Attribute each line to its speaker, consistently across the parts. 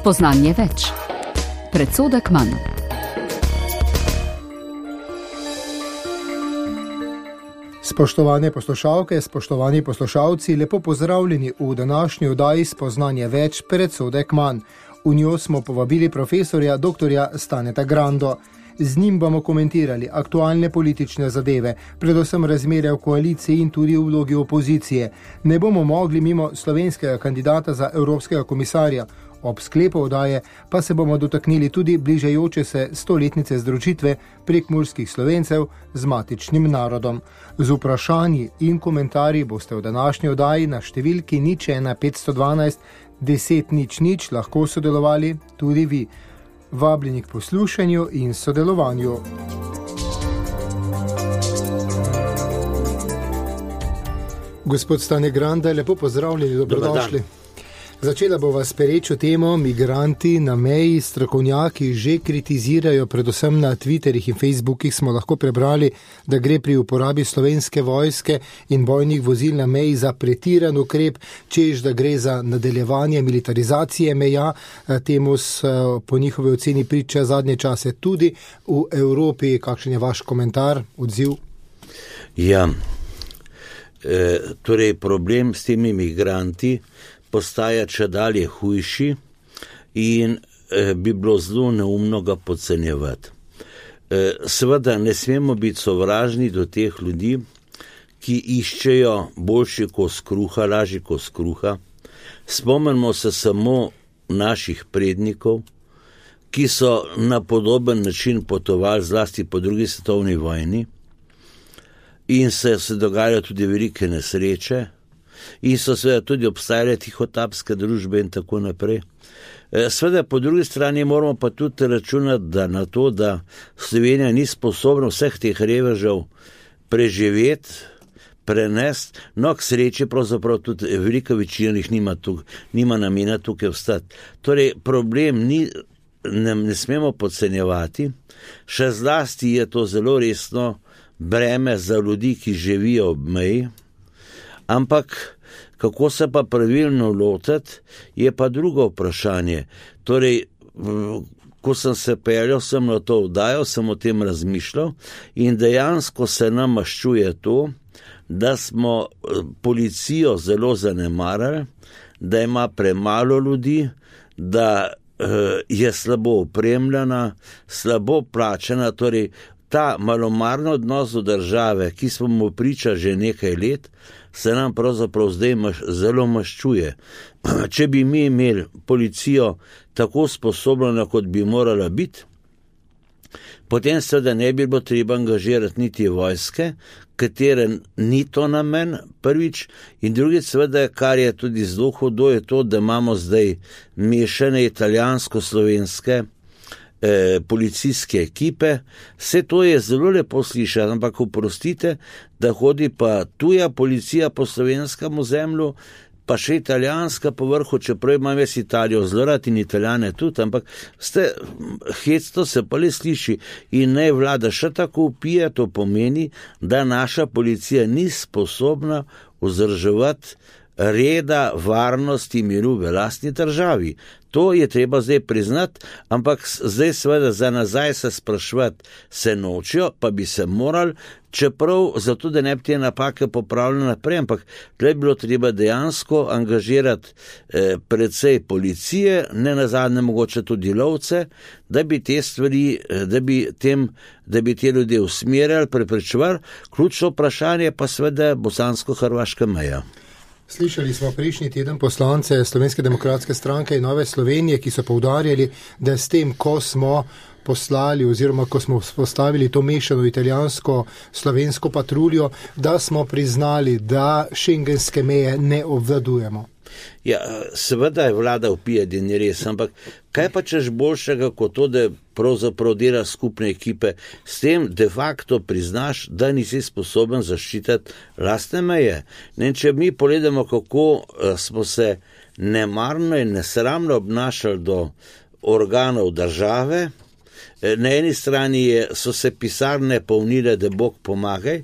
Speaker 1: Spoznanje več. Predsodek manj.
Speaker 2: Spoštovane poslušalke, spoštovani poslušalci, lepo pozdravljeni v današnji oddaji Spoznanje več, predsodek manj. V njo smo povabili profesorja dr. Staneta Grando. Z njim bomo komentirali aktualne politične zadeve, predvsem razmere v koaliciji in tudi v vlogi opozicije. Ne bomo mogli mimo slovenskega kandidata za evropskega komisarja. Ob sklepu oddaje pa se bomo dotaknili tudi bližajoče se 100-letnice združitve prekmurskih Slovencev z matičnim narodom. Z vprašanji in komentarji boste v današnji oddaji na številki 01 512 10 00 lahko sodelovali tudi vi. Vabljeni k poslušanju in sodelovanju. Gospod Stane Granda, lepo pozdravljeni, dobrodošli. Začela bo vas perečo temo migranti na meji. Strokovnjaki že kritizirajo, predvsem na Twitterih in Facebookih smo lahko prebrali, da gre pri uporabi slovenske vojske in bojnih vozil na meji za pretiran ukrep, čež da gre za nadaljevanje militarizacije meja. Temu po njihovi oceni priča zadnje čase tudi v Evropi. Kakšen je vaš komentar, odziv?
Speaker 3: Ja, torej problem s temi migranti postaja čedalje hujši in bi bilo zelo neumno ga podcenjevati. Seveda ne smemo biti sovražni do teh ljudi, ki iščejo boljši kos kruha, lažji kos kruha. Spomnimo se samo naših prednikov, ki so na podoben način potovali zlasti po drugi svetovni vojni in se dogajajo tudi velike nesreče, in so seveda tudi obstajale tihotapske družbe in tako naprej. Seveda po drugi strani moramo pa tudi računati na to, da Slovenija ni sposobna vseh teh revežev preživeti, prenesti, no k sreči pravzaprav tudi velika večina jih nima namena tukaj ostati. Torej problem ne smemo podcenjevati, še zlasti je to zelo resno breme za ljudi, ki živijo ob meji. Ampak kako se pa pravilno lotiti, je pa drugo vprašanje. Torej, ko sem se peljal, sem na to oddajo, sem o tem razmišljal in dejansko se nam maščuje to, da smo policijo zelo zanemarili, da ima premalo ljudi, da je slabo opremljena, slabo plačena, torej ta malomarno odnos do države, ki smo mu priča že nekaj let, se nam pravzaprav zdaj zelo maščuje. Če bi mi imeli policijo tako sposobno, kot bi morala biti, potem seveda ne bi bilo treba angažirati niti vojske, katere ni to namen, prvič, in drugič seveda, kar je tudi zelo hudo, je to, da imamo zdaj mešane italijansko-slovenske policijske ekipe. Vse to je zelo lepo slišati, ampak oprostite, da hodi pa tuja policija po slovenskem ozemlju, pa še italijanska po vrhu, čeprav imam jaz Italijo zelo rad in Italijane tudi, ampak hecno se pa le sliši in naj vlada še tako vpije, to pomeni, da naša policija ni sposobna vzdrževati reda, varnosti, miru v lastni državi. To je treba zdaj priznati, ampak zdaj seveda za nazaj se spraševati se nočijo, pa bi se morali, čeprav zato, da ne bi te napake popravljali naprej, ampak tle bi bilo treba dejansko angažirati precej policije, ne nazadnje mogoče tudi lovce, da bi te stvari, da bi te ljudje usmerjali, preprečevali. Ključno vprašanje pa seveda bosansko-hrvaška meja.
Speaker 2: Slišali smo prejšnji teden poslance Slovenske demokratske stranke in Nove Slovenije, ki so poudarjali, da s tem, ko smo poslali oziroma ko smo postavili to mešano italijansko-slovensko patruljo, da smo priznali, da šengenske meje ne obvladujemo.
Speaker 3: Ja, seveda je vlada vpijati in je res, ampak kaj pa češ boljšega kot to, da pravzaprav dela skupne ekipe, s tem de facto priznaš, da nisi sposoben zaščititi lastne meje. Če mi pogledamo, kako smo se nemarno in nesramno obnašali do organov države, na eni strani so se pisarne polnile, da Bog pomagaj,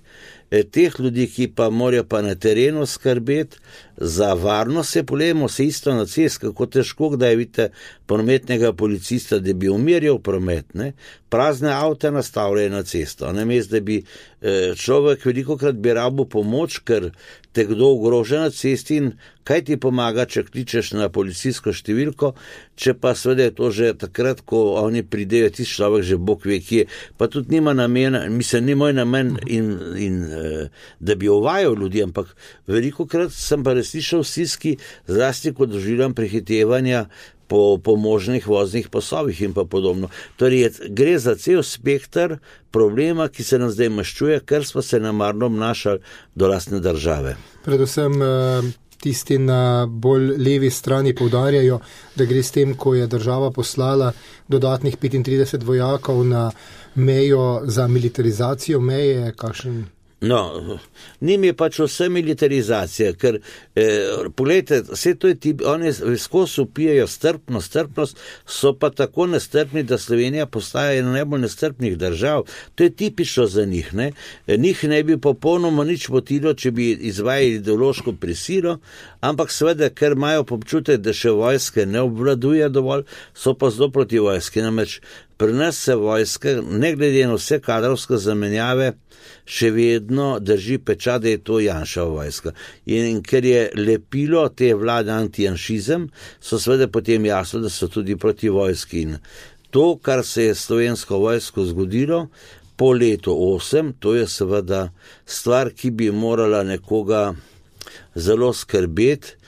Speaker 3: teh ljudi, ki pa morajo pa na terenu skrbeti za varnost, se polemo se isto na cest, kako težko, kdaj vidite prometnega policista, da bi umirjal promet, ne? Prazne avte nastavljajo na cesto, namesto da bi človek velikokrat bi rabil pomoč, ker te kdo ogroža na cesti in kaj ti pomaga, če kličeš na policijsko številko, če pa seveda je to že takrat, ko oni pridejo, tisti človek že Bog ve kje, pa tudi nima namena, mislim, ni moj namen da bi ovajal ljudi, ampak velikokrat sem pa resnično stiski, zlasti ko doživljam prehitevanja po možnih voznih pasovih in pa podobno. Torej, gre za cel spektr problema, ki se nam zdaj maščuje, ker smo se namarno obnašali do lastne države.
Speaker 2: Predvsem tisti na bolj levi strani poudarjajo, da gre s tem, ko je država poslala dodatnih 35 vojakov na mejo za militarizacijo meje, kakšen...
Speaker 3: No, njim je pač vse militarizacija, ker, pogledajte, vse to je tip, oni skozi upijajo strpnost, so pa tako nestrpni, da Slovenija postaja ena najbolj nestrpnih držav. To je tipično za njih, ne? Njih ne bi popolnoma nič motilo, če bi izvajali ideološko prisilo, ampak seveda, ker imajo občutek, da še vojske ne obvladuje dovolj, so pa zelo proti vojski, namreč pri nas se vojska, ne glede na vse kadrovske zamenjave, še vedno drži pečat, da je to Janševa vojska. In ker je lepilo te vlade antijanšizem, so seveda potem jasno, da so tudi proti vojski. In to, kar se je slovensko vojsko zgodilo po letu 8, to je seveda stvar, ki bi morala nekoga zelo skrbeti.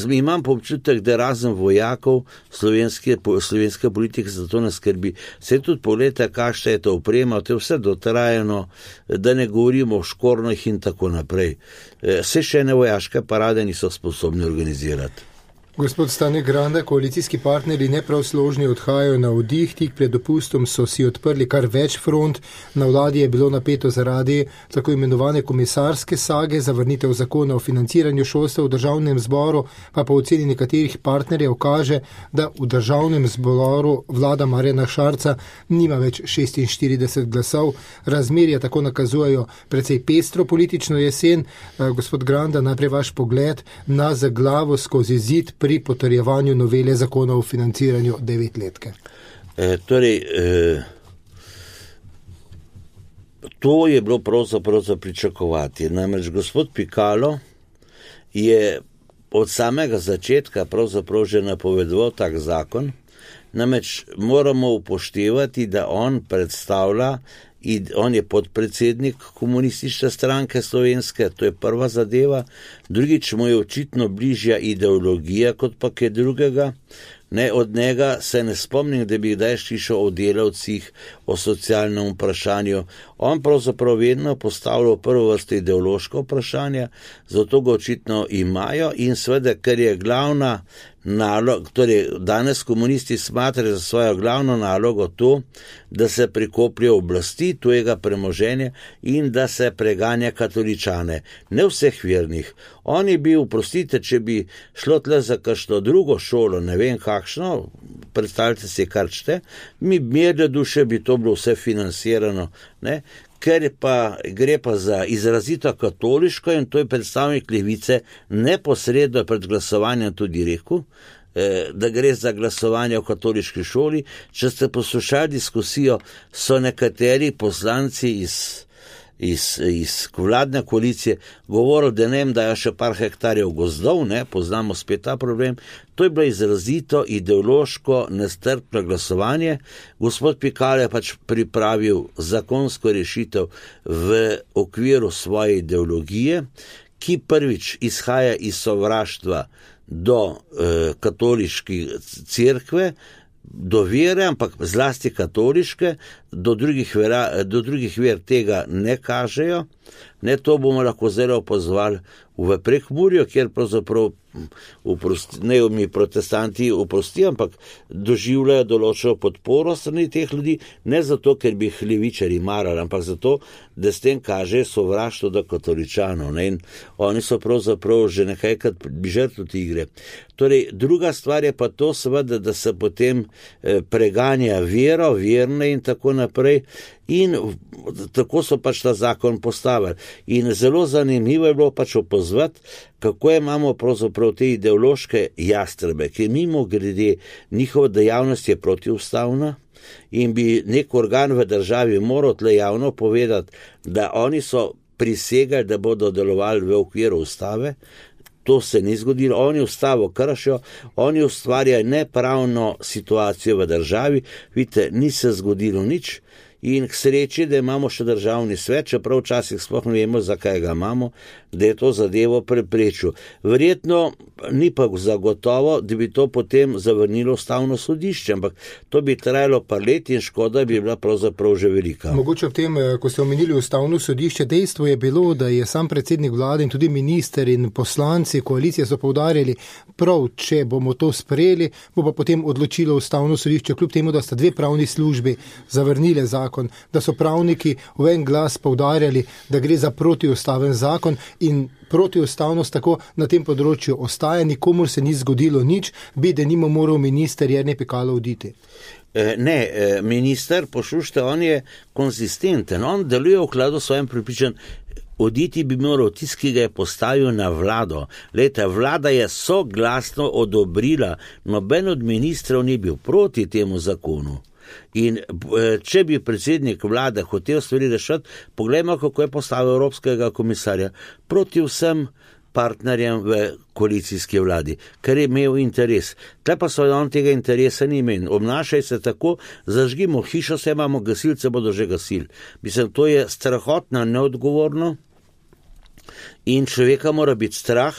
Speaker 3: Imam občutek, da razen vojakov slovenske politike za to ne skrbi. Se tudi pogledajte, kakšna je to oprema, to je vse dotrajeno, da ne govorimo o škornjih in tako naprej. Se še ene vojaške parade niso sposobni organizirati.
Speaker 2: Gospod Stane Granda, koalicijski partnerji neprav složni odhajajo na oddih, tik pred dopustom so si odprli kar več front, na vladi je bilo napeto zaradi tako imenovane komisarske sage, zavrnitev zakona o financiranju šolstva v državnem zboru, pa po oceni nekaterih partnerjev kaže, da v državnem zboru vlada Marjana Šarca nima več 46 glasov, razmerja tako nakazujejo precej pestro politično jesen. Gospod Granda, najprej vaš pogled na zaglavo skozi zid pri potrjevanju novele zakona o financiranju 9-letke.
Speaker 3: To je bilo pravzaprav za pričakovati. Namreč gospod Pikalo je od samega začetka pravzaprav že napovedoval tak zakon. Namreč moramo upoštevati, da on predstavlja in on je podpredsednik komunistične stranke slovenske, to je prva zadeva, drugič mu je očitno bližja ideologija kot pa kaj drugega. Ne, od njega se ne spomnim, da bi kdaj slišal o delavcih, o socialnem vprašanju. On pravzaprav vedno postavlja v prvo vrsto ideološko vprašanje, zato ga očitno imajo in seveda, ker je glavna naloga, torej danes komunisti smatrajo za svojo glavno nalogo to, da se prikopljajo oblasti tujega premoženja in da se preganja katoličane, ne vseh vernih. Oni bi, oprostite, če bi šlo tle za kakšno drugo šolo, ne vem kakšno, predstavljate si kar čete, mi mirne duše bi to bilo vse financirano, ne? Ker pa gre pa za izrazito katoliško in to je predstavnik levice neposredno pred glasovanjem tudi rekel, da gre za glasovanje v katoliški šoli. Če ste poslušali diskusijo, so nekateri poslanci iz vladne koalicije govorili, da ne dajo še par hektarjev gozdov, ne, poznamo spet ta problem. To je bilo izrazito ideološko nestrpno glasovanje. Gospod Pikalo je pač pripravil zakonsko rešitev v okviru svoje ideologije, ki prvič izhaja iz sovraštva do katoliške cerkve, do vere, ampak zlasti katoliške, do drugih ver tega ne kažejo. Ne, to bomo lahko zelo opazovali v Prekmurju, kjer pravzaprav ne mi protestanti oprostijo, ampak doživljajo določeno podporo strani teh ljudi, ne zato, ker bi jih levičari marali, ampak zato, da s tem kaže sovraštvo do katoličanov. Ne? In oni so pravzaprav že nekajkrat žrtve igre. Torej, druga stvar je pa to seveda, da se potem preganja vero, verne in tako naprej. In tako so pač ta zakon postavili. In zelo zanimivo je bilo pač opazovati, kako imamo pravzaprav te ideološke jastrebe, ki mimo grede njihova dejavnost je protiustavna in bi nek organ v državi moral tle javno povedati, da oni so prisegali, da bodo delovali v okviru ustave. To se ni zgodilo, oni ustavo kršijo, oni ustvarjajo nepravno situacijo v državi, vidite, ni se zgodilo nič. In k sreči, da imamo še državni svet, čeprav včasih sploh ne vemo, zakaj ga imamo, da je to zadevo preprečil. Verjetno ni pa zagotovo, da bi to potem zavrnilo ustavno sodišče, ampak to bi trajalo par let in škoda bi bila pravzaprav že velika.
Speaker 2: Mogoče v tem, ko ste omenili ustavno sodišče, dejstvo je bilo, da je sam predsednik vlade in tudi minister in poslanci koalicije so poudarjali, prav, če bomo to sprejeli, bo pa potem odločilo ustavno sodišče, kljub temu, da sta dve pravni službi zavrnile zakon, da so pravniki v en glas poudarjali, da gre za protiustaven zakon in protiustavnost tako na tem področju ostaja, nikomur se ni zgodilo nič, bi denimo moral minister Jernej Pikalo oditi.
Speaker 3: Ne, minister, poslušajte, on je konzistenten, on deluje v skladu s svojim prepričanjem. Oditi bi moral tisti, ki ga je postavil na vlado. Lejte, vlada je soglasno odobrila, noben od ministrov ni bil proti temu zakonu. In če bi predsednik vlade hotel stvari rešiti, poglejmo, kako je postavil Evropskega komisarja proti vsem partnerjem v koalicijski vladi, ker je imel interes. Tle pa so on tega interesa ni imel. Obnašaj se tako, zažgimo hišo, se imamo gasilce, bodo že gasili. Mislim, to je strahotno, neodgovorno in človeka mora biti strah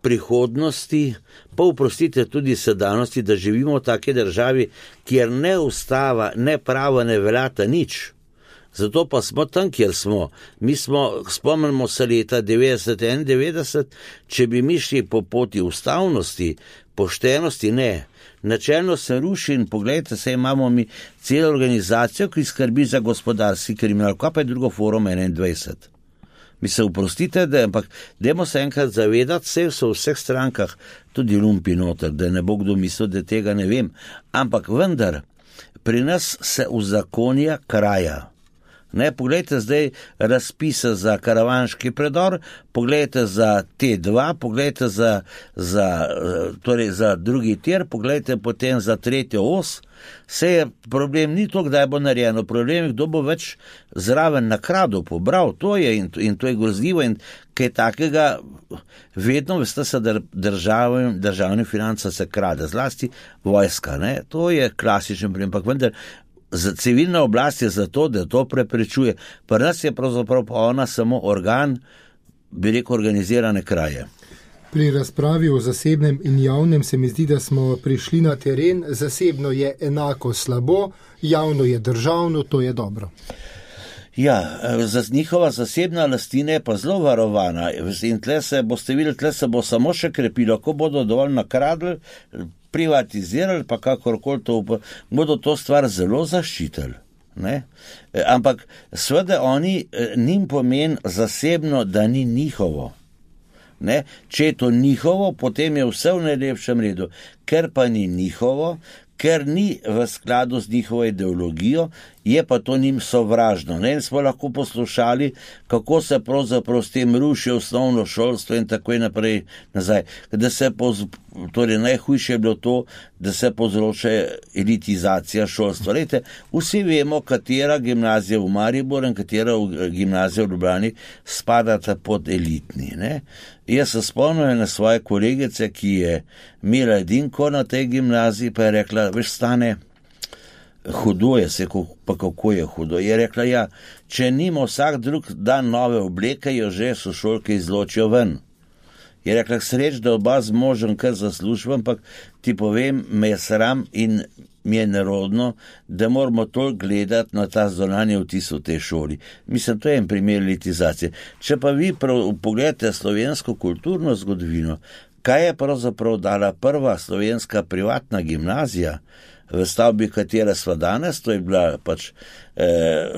Speaker 3: prihodnosti, pa oprostite tudi sedanjosti, da živimo v taki državi, kjer ne ustava, ne pravo ne veljata nič. Zato pa smo tam, kjer smo. Mi smo, spomnimo se leta 90-91, če bi mi šli po poti ustavnosti, poštenosti, ne. Načelno se ruši in pogledajte, se imamo mi celo organizacijo, ki skrbi za gospodarski kriminal, kaj pa je drugo forum 21. Mi se oprostite, ampak dajmo se enkrat zavedati, vse so v vseh strankah tudi lumpi noter, da ne bo kdo mislil, da tega ne vem. Ampak vendar, pri nas se uzakonja kraja. Ne, poglejte zdaj razpise za karavanški predor, poglejte za T2, poglejte za drugi tir, poglejte potem za tretjo os. Vse je problem, ni to, kdaj bo narejeno, problem je, kdo bo več zraven nakradel, pobral, to je in to je grozljivo in kaj takega, vedno veste se, da državne finance se krade, zlasti vojska, ne, to je klasičen problem, ampak vendar, civilna oblast je zato, da to preprečuje. Pri nas je pravzaprav pa ona samo organ, bi rekel, organizirane kraje.
Speaker 2: Pri razpravi o zasebnem in javnem se mi zdi, da smo prišli na teren. Zasebno je enako slabo, javno je državno, to je dobro.
Speaker 3: Ja, njihova zasebna lastnina je pa zelo varovana in tle se boste videli, tle se bo samo še krepilo, ko bodo dovolj nakradli, privatizirali, pa kakorkoli to, bodo to stvar zelo zaščitili. Ne? Ampak seveda njim pomeni zasebno, da ni njihovo. Ne? Če je to njihovo, potem je vse v najlepšem redu, ker pa ni njihovo, ker ni v skladu z njihovo ideologijo, je pa to njim sovražno. Ne? In smo lahko poslušali, kako se pravzaprav s tem ruši osnovno šolstvo in tako naprej nazaj. Torej, najhujše je bilo to, da se povzroča elitizacija šolstva. Lejte, vsi vemo, katera gimnazija v Mariboru in katera gimnazija v Ljubljani spadata pod elitni. Ne? Jaz se spomnim na svoje kolegice, ki je imela edinko na tej gimnaziji, pa je rekla, veš, Stane, hudo je, pa kako je hudo. Je rekla, ja, če nima vsak drug dan nove obleke, jo že sošolke izločijo ven. Je rekla, sreč, da oba z možem kar zaslužim, ampak ti povem, me je sram in mi je nerodno, da moramo toliko gledati na ta zunanji vtis v tej šoli. Mislim, to je en primer elitizacije. Če pa vi pogledate slovensko kulturno zgodovino, kaj je pravzaprav dala prva slovenska privatna gimnazija, v stavbi, katera sva danes, to je bila pač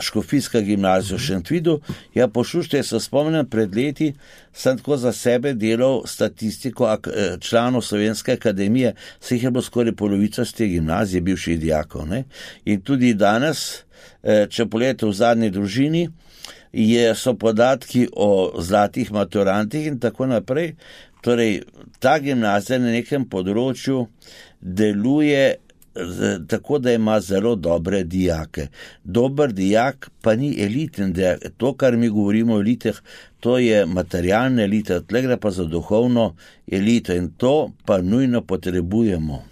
Speaker 3: Škofijska gimnazija v Šentvidu. Ja, pošušte, se spomnim, pred leti sem tako za sebe delal statistiko članov Slovenske akademije, se jih je bilo skoraj polovica z te gimnazije, bivših dijakov, ne? In tudi danes, če pogledate v zadnji družini, so podatki o zlatih maturantih in tako naprej. Torej, ta gimnazija na nekem področju deluje tako, da ima zelo dobre dijake. Dober dijak pa ni eliten dijak. To, kar mi govorimo o elitah, to je materialna elita, tle gre pa za duhovno elito in to pa nujno potrebujemo.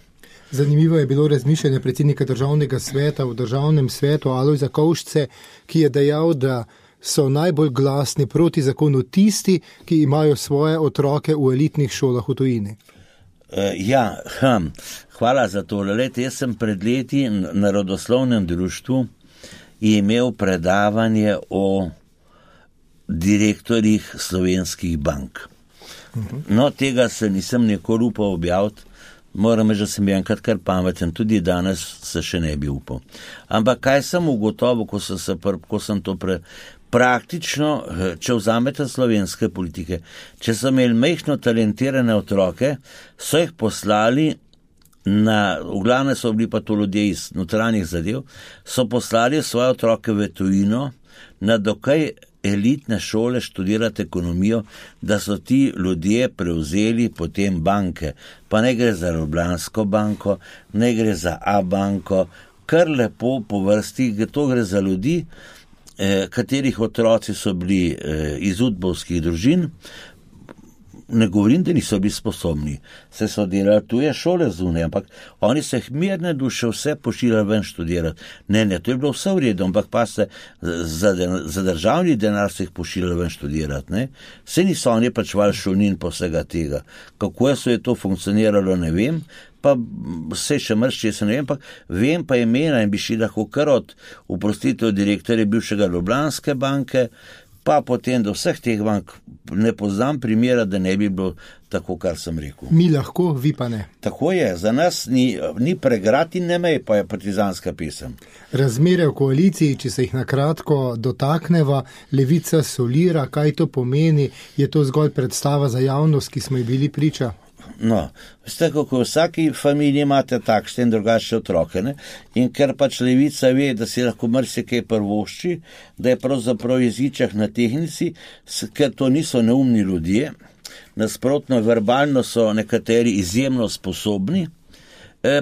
Speaker 2: Zanimivo je bilo razmišljanje predsednika Državnega sveta v Državnem svetu Alojza Kovšce, ki je dejal, da so najbolj glasni proti zakonu tisti, ki imajo svoje otroke v elitnih šolah v tujini.
Speaker 3: Hvala za to. Lete, jaz sem pred leti na Narodoslovnem društvu imel predavanje o direktorjih slovenskih bank. No, tega se nisem nikoli upal objaviti, moram reči, da sem bil enkrat kar pameten, tudi danes se še ne bi upal. Ampak kaj sem ugotovil, ko sem to praktično, če vzamete slovenske politike, če so imeli majhno talentirane otroke, so jih poslali v glavne so bili pa to ljudje iz notranjih zadev, so poslali svoje otroke v tujino na dokaj elitne šole študirati ekonomijo, da so ti ljudje prevzeli potem banke. Pa ne gre za Ljubljansko banko, ne gre za A banko, kar lepo po vrsti, to gre za ljudi, katerih otroci so bili iz udbovskih družin. Ne govorim, da niso bili sposobni, se so delali tuje šole zunaj, ampak oni se jih mirne duše vse pošiljali ven študirati. Ne, to je bilo vse v redu, ampak pa se za državni denar se jih pošiljali ven študirati, ne. Vse niso oni plačevali šolnin po vsega tega. Kako je to funkcioniralo, ne vem, pa vse še mršče se ne vem, pa vem pa imena in bi šli lahko kar od oprostitev direktorja bivšega Ljubljanske banke, pa potem do vseh teh bank ne poznam primera, da ne bi bilo tako, kar sem rekel.
Speaker 2: Mi lahko, vi pa ne.
Speaker 3: Tako je, za nas ni pregrad in ne mej, pa je partizanska pesem.
Speaker 2: Razmere v koaliciji, če se jih na kratko dotakneva, Levica solira, kaj to pomeni, je to zgolj predstava za javnost, ki smo ji bili priča?
Speaker 3: No, veste, kako v vsaki familiji imate takšne in drugačne otroke, ne? In ker pač Levica ve, da si lahko marsikaj prvošči, da je pravzaprav jeziček na tehnici, ker to niso neumni ljudje, nasprotno verbalno so nekateri izjemno sposobni,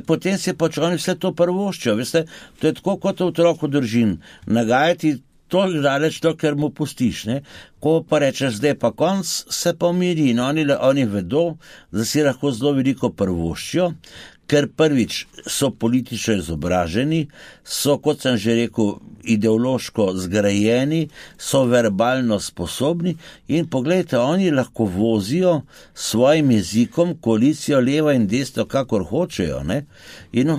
Speaker 3: potem si pač oni vse to prvoščijo, veste, to je tako kot otrok v družini, nagajati toliko daleč, ker mu pustiš, ne. Ko pa rečeš, zdaj pa konc, se pa umiri in oni vedo, da si lahko zelo veliko prvoščijo, ker prvič so politično izobraženi, so, kot sem že rekel, ideološko zgrajeni, so verbalno sposobni in pogledajte, oni lahko vozijo svojim jezikom koalicijo leva in desno, kakor hočejo, ne. In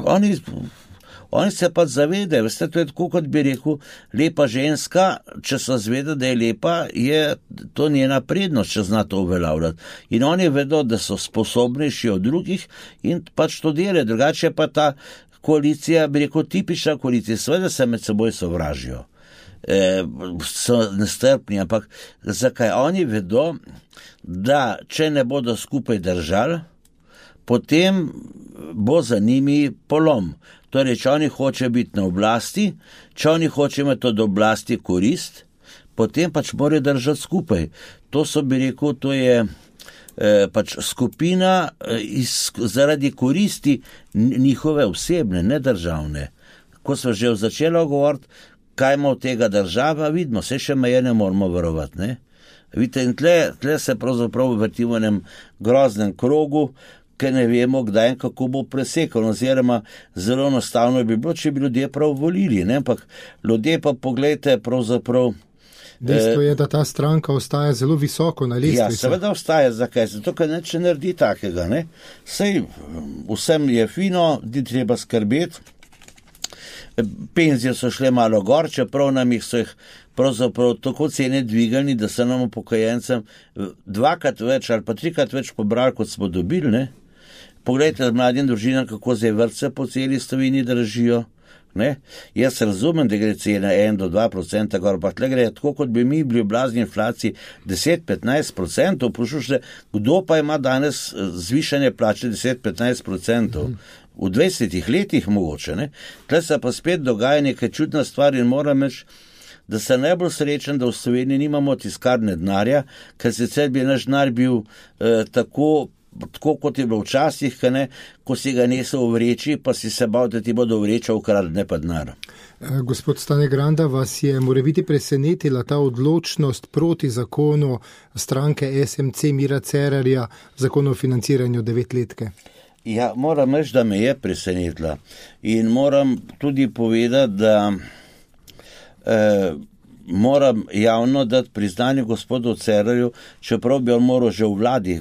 Speaker 3: oni se pa zavedajo, veste, to je tako, kot bi rekel, lepa ženska, če se zaveda, da je lepa, je to njena prednost, če zna to uveljavljati. In oni vedo, da so sposobnejši od drugih in pač to delajo. Drugače pa ta koalicija, bi rekel, tipična koalicija, seveda se med seboj sovražijo. So nestrpni, ampak zakaj? Oni vedo, da če ne bodo skupaj držali, potem bo za njimi polom. Torej, če oni hoče biti na oblasti, če oni hoče imeti od oblasti korist, potem pač morajo držati skupaj. To so, bi rekel, to je pač skupina zaradi koristi njihove osebne, ne državne. Ko smo že začeli govoriti, kaj ima od tega država, vidimo, se še meje ne moramo varovati, ne. Vidite, in tle se pravzaprav vrtimo v enem groznem krogu, ker ne vemo, kdaj in kako bo presekal, oziroma zelo enostavno bi bilo, če bi ljudje prav volili, ne, ampak ljudje pa pogledajte pravzaprav
Speaker 2: Dejstvo je, da ta stranka ostaja zelo visoko na lestvici.
Speaker 3: Ja, seveda ostaja. Zakaj? Zato, ker neče naredi takega. Ne? Sej, vsem je fino, di treba skrbeti. Penzije so šle malo gor, čeprav nam jih so jih pravzaprav tako cene dvigali, da so nam upokojencem 2-krat več ali pa 3-krat več pobrali, kot smo dobili. Ne? Poglejte mladim družinam, kako zdaj vrtce po celi Sloveniji držijo. Ne? Jaz razumem, da gre cena 1-2% gor, pa tle gre tako, kot bi mi bili v blazni inflaciji 10-15%. Poslušajte, kdo pa ima danes zvišanje plače 10-15%? V 20 letih mogoče. Ne? Tle se pa spet dogaja nekaj čudna stvar in moram reči, da se najbolj srečen, da v Sloveniji nimamo tiskarne denarja, ker sicer bi naš denar bil tako kot je bilo včasih, ko si ga nesel v vreči, pa si se bal, da ti bodo vreča ukradli, ne pa denar.
Speaker 2: Gospod Stane Granda, vas je morebiti presenetila ta odločnost proti zakonu stranke SMC Mira Cerarja, zakonu o financiranju 9-letke?
Speaker 3: Ja, moram reči, da me je presenetila. In moram tudi povedati, da moram javno dati priznanje gospodu Cerarju, čeprav bi on moral že v vladi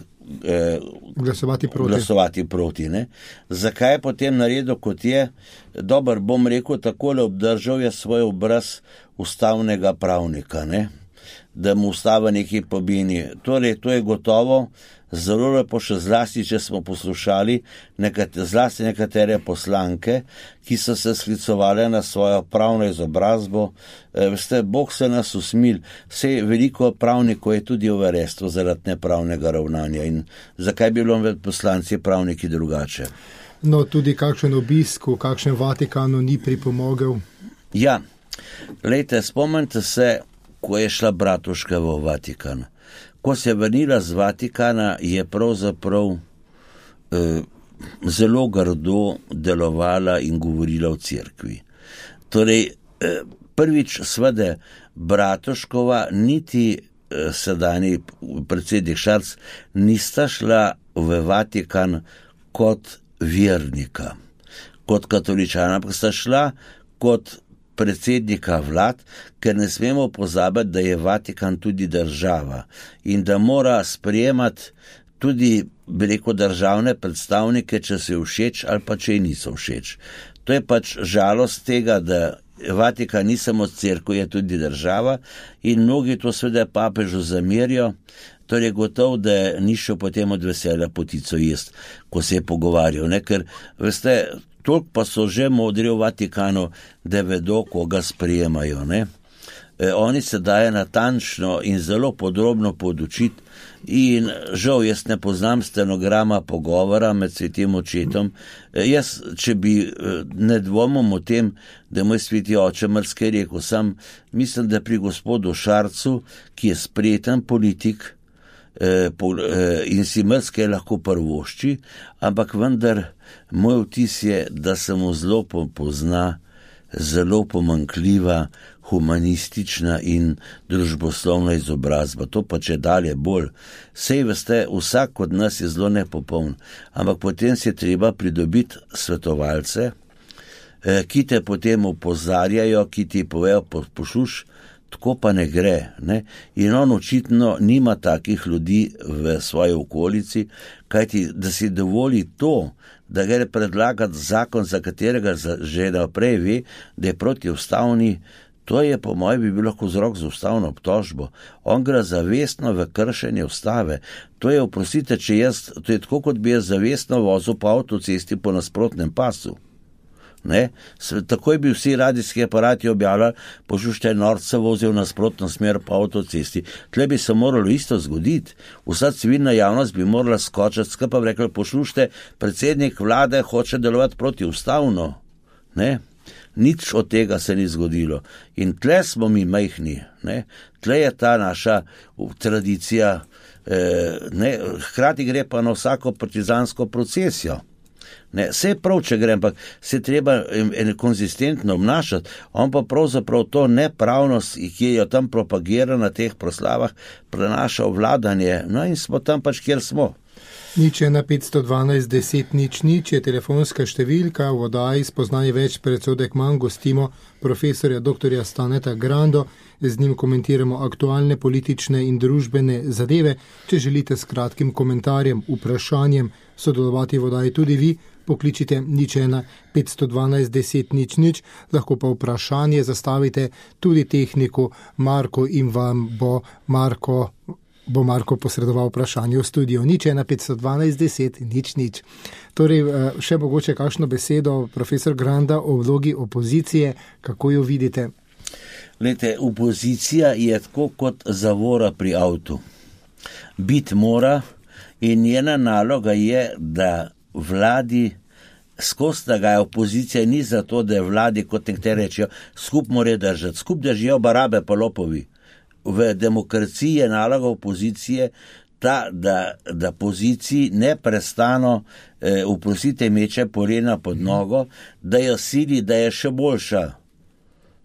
Speaker 3: glasovati proti. Ne? Zakaj je potem naredil, kot je? Dober, bom rekel, takole obdržal je svoj obraz ustavnega pravnika, ne? Da mu ustava neki pobini. Torej, to je gotovo zelo lepo, še zlasti, če smo poslušali zlasti nekatere poslanke, ki so se sklicovali na svojo pravno izobrazbo. Veste, Bog se nas usmil, vse veliko pravnikov je tudi v arestvu zaradi nepravnega ravnanja in zakaj bi bilo med poslanci pravniki drugače?
Speaker 2: No, tudi kakšen obisk v kakšnem Vatikanu ni pripomogel?
Speaker 3: Ja, glejte, spomnite se, ko je šla Bratuška v Vatikan. Ko se je vrnila z Vatikana, je pravzaprav zelo grdo delovala in govorila o cerkvi. Torej, prvič svede Bratuškova, niti sedanji predsednik Šarc nista šla v Vatikan kot vernika, kot katoličana, ampak sta šla kot predsednika vlad, ker ne smemo pozabiti, da je Vatikan tudi država in da mora sprejemati tudi, bi rekel, državne predstavnike, če se všeč ali pa če niso všeč. To je pač žalost tega, da Vatikan ni samo cerkev, je tudi država in mnogi to seveda papežu zamerijo, torej gotov, da ni šel potem od veselja potico jest, ko se je pogovarjal, ne? Ker, veste, toliko pa so že modri v Vatikanu, da vedo, koga sprijemajo. Ne? Oni se daje natančno in zelo podrobno podučiti in žal jaz ne poznam stenograma pogovora med svetim očetom. Jaz, če bi ne dvomil o tem, da moj sveti oče marsikaj rekel, sam mislim, da pri gospodu Šarcu, ki je spreten politik in si marsikaj lahko prvošči, ampak vendar moj vtis je, da se mu zelo pozna zelo pomanjkljiva humanistična in družboslovna izobrazba. To pa če dalje bolj. Sej veste, vsak od nas je zelo nepopoln, ampak potem si je treba pridobiti svetovalce, ki te potem opozarjajo, ki ti povejo, poslušaj, tako pa ne gre. Ne? In on očitno nima takih ljudi v svoji okolici, kajti da si dovoli to, da gre predlagati zakon, za katerega že naprej ve, da je protiustavni, to je po mojem bi bil lahko vzrok za ustavno obtožbo. On gre zavestno v kršenje ustave. To je, oprostite, to je tako, kot bi jaz zavestno vozil po avtocesti po nasprotnem pasu. Ne? Takoj bi vsi radijski aparati objavljali, poslušajte, norce vozijo v nasprotno smer po avtocesti. Tle bi se moralo isto zgoditi. Vsa civilna javnost bi morala skočiti, skupaj bi rekli, poslušajte, predsednik vlade hoče delovati protiustavno. Ne? Nič od tega se ni zgodilo. In tle smo mi majhni. Ne? Tle je ta naša tradicija. Hkrati gre pa na vsako partizansko procesijo. Ne, vse prav, če gre, ampak se treba konzistentno obnašati. On pa pravzaprav to nepravnost, ki jo tam propagira na teh proslavah, prenaša v vladanje. No in smo tam pač, kjer smo.
Speaker 2: 01 512 10 00 je telefonska številka. V oddaji Spoznanje več, predsodek manj gostimo profesorja dr. Staneta Grando. Z njim komentiramo aktualne politične in družbene zadeve. Če želite s kratkim komentarjem, vprašanjem sodelovati v oddaji tudi vi, pokličite 01 512 10 00, lahko pa vprašanje zastavite tudi tehniku Marko in vam bo Marko posredoval vprašanje v studiu. 01 512 10 00. Torej, še mogoče kakšno besedo, profesor Granda, o vlogi opozicije, kako jo vidite?
Speaker 3: Glejte, opozicija je tako kot zavora pri avtu. Biti mora in njena naloga je, da vladi skozi da ga je opozicija ni zato, da je vladi, kot nekateri rečejo, skup more držati, skup držijo barabe pa lopovi. V demokraciji je naloga opozicije ta, da poziciji neprestano meče polena pod nogo, da jo sili, da je še boljša.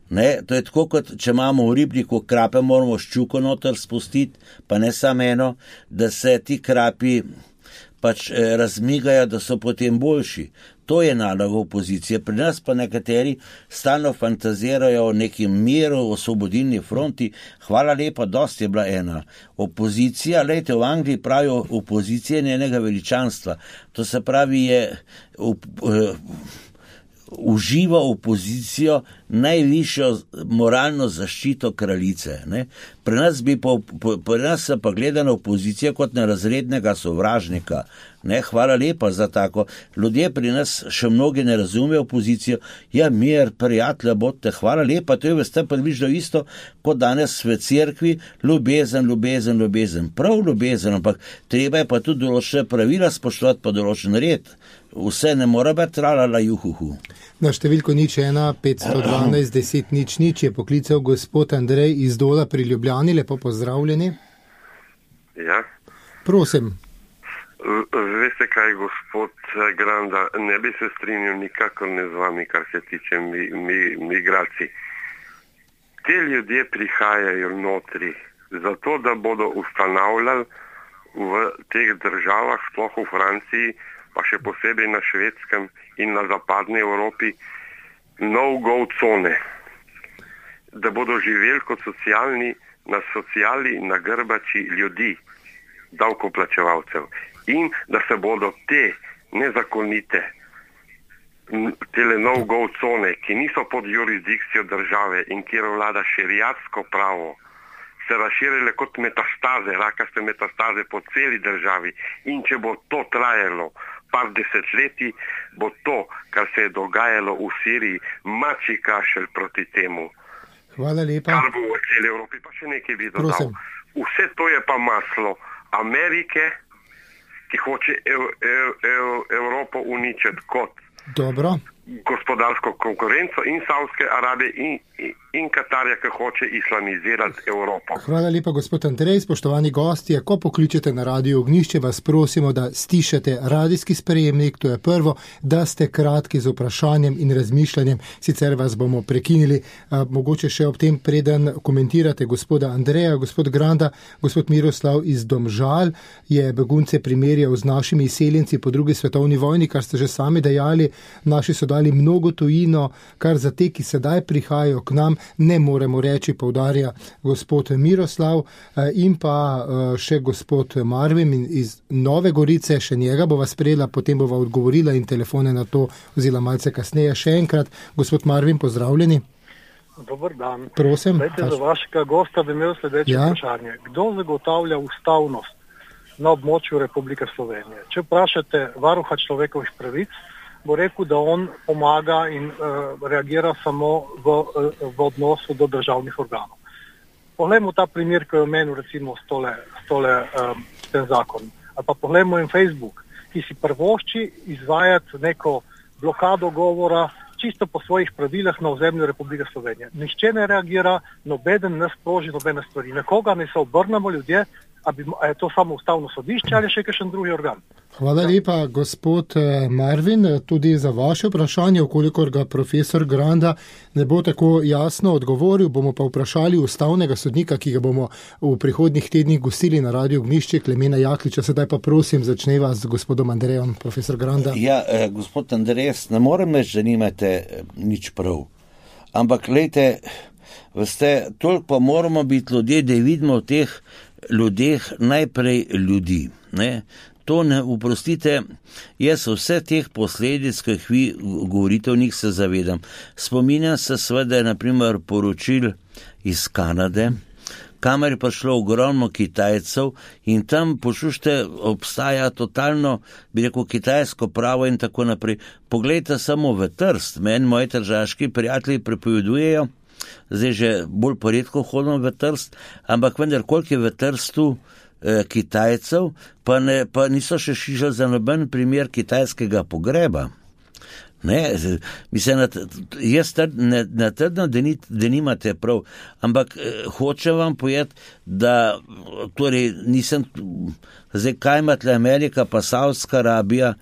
Speaker 3: Ne? To je tako, kot če imamo v ribniku krape, moramo ščuko noter spustiti, pa ne samo eno, da se ti krapi pač razmigajo, da so potem boljši. To je naloga opozicije. Pri nas pa nekateri stalno fantazirajo o nekem miru, o osvobodilni fronti. Hvala lepa, dosti je bila ena. Opozicija, lejte, v Angliji pravijo, opozicija njenega veličanstva. To se pravi, uživa opozicijo najvišjo moralno zaščito kraljice. Ne? Pri nas se pa gleda na opozicijo kot na razrednega sovražnika. Ne? Hvala lepa za tako. Ljudje pri nas še mnogi ne razumejo opozicijo. Ja, mir, prijatelja, bodite, hvala lepa. To je veste približno isto, kot danes v cerkvi, ljubezen. Prav ljubezen, ampak treba je pa tudi določene pravila spoštovati, pa določen red. Vse ne mora biti tralala juhuhu.
Speaker 2: Na številko 01 512 10 00 je poklical gospod Andrej iz Dola pri Ljubljani. Lepo pozdravljeni.
Speaker 4: Ja.
Speaker 2: Prosim.
Speaker 4: Veste kaj, gospod Granda, ne bi se strinjal nikakor ne z vami, kar se tiče migracij. Te ljudje prihajajo notri zato, da bodo ustanavljali v teh državah, sploh v Franciji, pa še posebej na Švedskem in na zapadni Evropi, no-go cone, da bodo živeli kot na sociali na grbači ljudi, davkoplačevalcev, in da se bodo te nezakonite tele no-go cone, ki niso pod jurisdikcijo države in kjer vlada šeriatsko pravo, se razširile kot metastaze, rakaste metastaze po celi državi, in če bo to trajalo par desetletij, bo to, kar se je dogajalo v Siriji, mačji kašelj proti temu.
Speaker 2: Hvala lepa.
Speaker 4: Kar bo v celi Evropi, pa še nekaj bi dodal. Vse to je pa maslo Amerike, ki hoče Evropo uničiti kot
Speaker 2: dobro
Speaker 4: gospodarsko konkurenco, in Saudske Arabije in Katarja, ki hoče islamizirati Evropo.
Speaker 2: Hvala lepa, gospod Andrej. Spoštovani gostje, ko pokličete na Radio Ognjišče, vas prosimo, da stišate radijski sprejemnik, to je prvo, da ste kratki z vprašanjem in razmišljanjem, sicer vas bomo prekinili. Mogoče še ob tem, preden komentirate gospoda Andreja, gospod Granda, gospod Miroslav iz Domžal je begunce primerjal z našimi izseljenci po drugi svetovni vojni, kar ste že sami dejali, naši so dali mnogo tujino, kar za te, ki sedaj prihajajo k nam, ne moremo reči, poudarja gospod Miroslav, in pa še gospod Marvin iz Nove Gorice, še njega bova sprejela, potem bova odgovorila in telefone na to vzela malce kasneje. Še enkrat, gospod Marvin, pozdravljeni.
Speaker 5: Dobar dan.
Speaker 2: Prosim.
Speaker 5: Za vašega gosta bi imel sledeče vprašanje. Kdo zagotavlja ustavnost na območju Republike Slovenije? Če vprašate varuha človekovih pravic, bo rekel, da on pomaga in reagira samo v odnosu do državnih organov. Poglejmo ta primer, ki je omenil recimo s tem zakonom. Ali pa poglejmo in Facebook, ki si prvošči izvajati neko blokado govora čisto po svojih pravilih na ozemlju Republike Slovenije. Nihče ne reagira, nobeden ne sproži nobene stvari. Nekoga ne se obrnemo ljudje, je to samo ustavno sodišče ali še kakšen drugi organ?
Speaker 2: Hvala lepa, gospod Marvin, tudi za vaše vprašanje. Okolikor ga profesor Granda ne bo tako jasno odgovoril, bomo pa vprašali ustavnega sodnika, ki ga bomo v prihodnjih tednih gostili na Radiu Ognjišče, Klemena Jakliča. Sedaj pa prosim, začneva z gospodom Andrejem, profesor Granda.
Speaker 3: Ja, gospod Andrej, ne morem reči, da nimate nič prav. Ampak, glejte, veste, toliko pa moramo biti ljudje, da vidimo v teh ljudeh najprej ljudi, ne? To ne, oprostite, jaz vse teh posledic, ki jih vi govorite o njih, se zavedam. Spominjam se seveda, naprimer, poročil iz Kanade, kamor je prišlo ogromno Kitajcev in tam, poslušajte, obstaja totalno, bi rekel, kitajsko pravo in tako naprej. Poglejte samo v Trst, meni moji tržaški prijatelji prepovedujejo, zdaj že bolj poredko hodim v Trst, ampak vendar, koliko je v Trstu Kitajcev, pa niso še šišali za noben primer kitajskega pogreba. Ne, mislim, jaz ne trdim, da nimate prav, ampak hočem vam povedati, da torej nisem, zdaj kaj imate Amerika pa Saudska Arabija,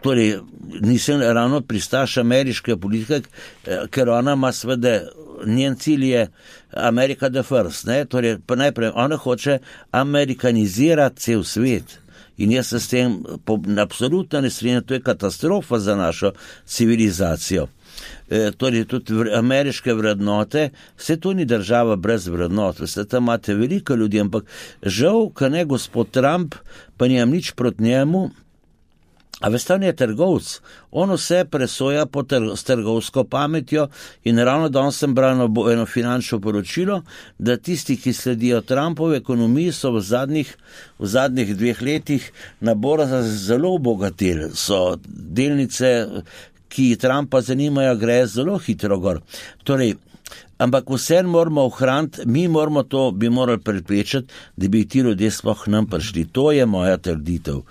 Speaker 3: torej nisem ravno pristaš ameriške politike, ker ona ima svede, njen cilj je America the first, ne, torej pa najprej ona hoče amerikanizirati cel svet. In jaz se s tem absolutno ne strinjam, to je katastrofa za našo civilizacijo. Torej tudi ameriške vrednote, vse to ni država brez vrednot, vse tam imate veliko ljudi, ampak žal, ka ne gospod Trump, pa nimam nič proti njemu, a veste, on je trgovc, on vse presoja s trgovsko pametjo in ravno danes sem bral eno finančno poročilo, da tisti, ki sledijo Trumpovi ekonomiji, so v zadnjih 2 letih na borzah zelo obogateli, so delnice, ki Trumpa zanimajo, gre zelo hitro gor. Torej, ampak vse moramo ohraniti, mi moramo to, bi morali preprečiti, da bi ti ljudje sploh nam prišli. To je moja trditev.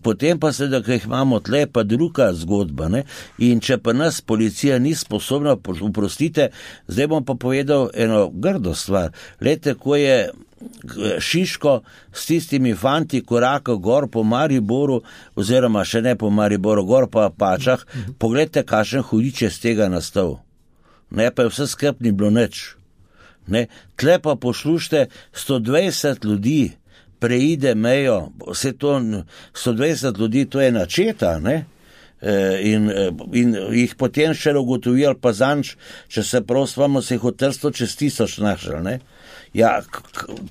Speaker 3: Potem pa seveda, ko jih imamo tle, pa druga zgodba, ne? In če pa nas policija ni sposobna, oprostite, zdaj bom pa povedal eno grdo stvar. Lejte, ko je Šiško s tistimi fanti korakal gor po Mariboru, oziroma še ne po Mariboru, gor po Apačah, pogledajte, kakšen hudič je z tega nastal. Ne, pa je vse skrb ni bilo nič. Ne, tle pa poslušajte, 120 ljudi preide mejo, vse to 120 ljudi, to je načeta, ne? In jih potem še ugotovili, pa zanč, če se prosvamo, se jih v Trstu čez 1000 našli, ne? Ja,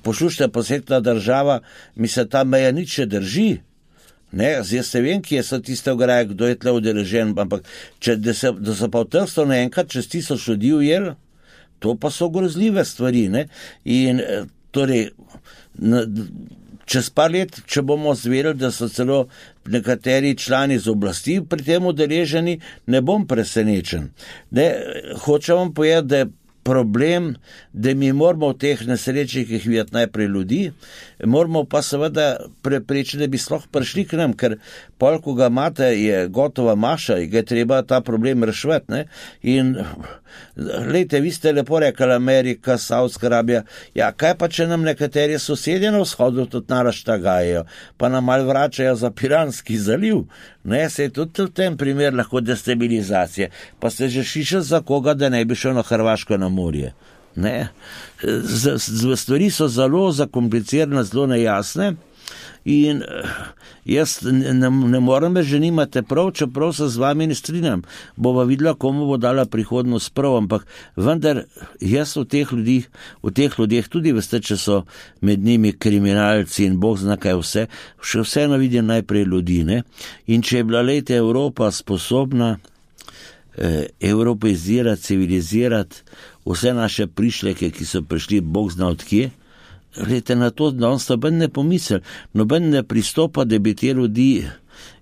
Speaker 3: poslušajte, posvetna država, mi se ta meja nič ne drži. Ne, zdaj se vem, kje so tiste ograje, kdo je tle udeležen, ampak da so pa v Trstu naenkrat čez 1000 ljudi ujeli, to pa so grozljive stvari, ne? In torej, čez par let, če bomo zverili, da so celo nekateri člani z oblasti pri tem udeleženi, ne bom presenečen. Ne, hočem vam povedati, da je problem, da mi moramo v teh nesrečih videti najprej ljudi, moramo pa seveda preprečiti, da bi sploh prišli k nam, ker pol, ko ga imate, je gotova maša in ga je treba ta problem reševati, ne? In glejte, vi ste lepo rekli, Amerika, Saudska Arabija, ja, kaj pa, če nam nekateri sosedje na vzhodu tudi narač tagajejo, pa nam malo vračajo za Piranski zaliv, ne, se je tudi v tem primer lahko destabilizacije, pa ste že šišali za koga, da ne bi šel na Hrvaško na morje, ne, stvari so zelo zakomplicirane, zelo nejasne. In jaz ne morem reči, že nimate prav, čeprav se z vami ne strinjam. Bova videla, komu bo dala prihodnost prav, ampak vendar jaz v teh ljudeh tudi veste, če so med njimi kriminalci in Bog zna kaj vse, še vseeno vidim najprej ljudi, ne? In če je bila lejte Evropa sposobna evropeizirati, civilizirati vse naše prišleke, ki so prišli Bog zna od kje, glede na to, da on noben ne pomisel, noben ne pristopa, da bi te ljudi